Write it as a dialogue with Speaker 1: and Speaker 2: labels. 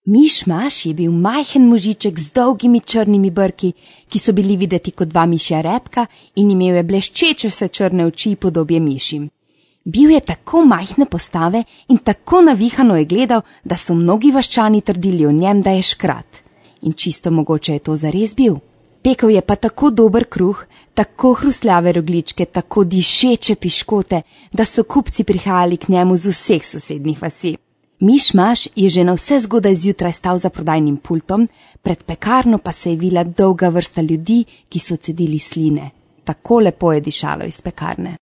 Speaker 1: Miš-maš je bil majhen možiček z dolgimi črnimi brki, ki so bili videti kot dva mišja repka in imel je bleščeče vse črne oči podobje mišim. Bil je tako majhne postave in tako navihano je gledal, da so mnogi vaščani trdili o njem, da je škrat. In čisto mogoče je to zares bil. Pekel je pa tako dober kruh, tako hrustljave rogljičke, tako dišeče piškote, da so kupci prihajali k njemu z vseh sosednjih vasi. Miš-maš je že na vse zgodaj zjutraj stal za prodajnim pultom, pred pekarno pa se je vila dolga vrsta ljudi, ki so cedili sline. Tako lepo je dišalo iz pekarne.